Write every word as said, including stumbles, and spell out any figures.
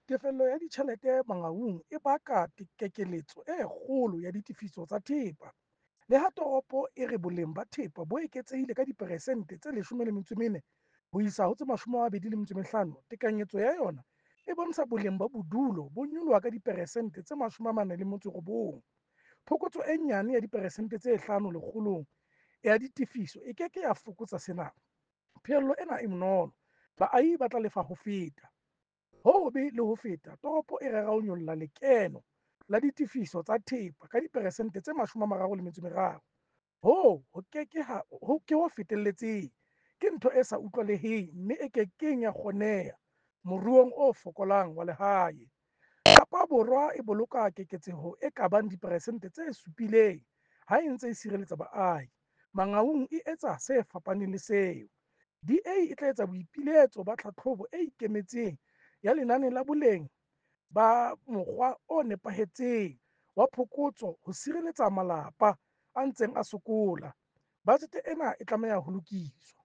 Tefello ya ditjhelete Mangaung e baka kekeletso e kgolo ya ditefiso tsa thepa. Le ha toropo e re boleng ba thepa bo eketsehile ka diperesente tse leshome le metso e mene ho isa ho tse mashome a mabedi le metso e mehlano, tekanyetso ya yona e bontsha boleng ba bodulo bo nyoloha ka diperesente tse mashome a mane le metso e robong. Phokotso e nyane ya diperesente tse hlano lekgolong ya ditefiso e ke ke ya fokotsa sena. Pheello ena e bonolo - baahi ba tla lefa ho feta. Ho hobe le ho feta, toropo e rera ho nyolla lekeno la ditefiso tsa thepa ka diperesente tse mashome a mararo le metso e meraro. Hoo ke ho fetelletseng, ke ntho e sa utlwahaleng mme e ke keng ya kgoneha moruong o fokolang wa lehae. Kapa Borwa e boloka keketseho e ka bang diperesente tse supileng ha e ntse e sireletsa baahi, Mangaung e etsa se fapaneng le seo. D A e tla etsa boipiletso ba tlhahlobo e ikemetseng ya lenane la boleng ba mokgwa o nepahetseng wa phokotso ho sireletsa malapa a ntseng a sokola. Bajete ena e tlameha ho lokiswa.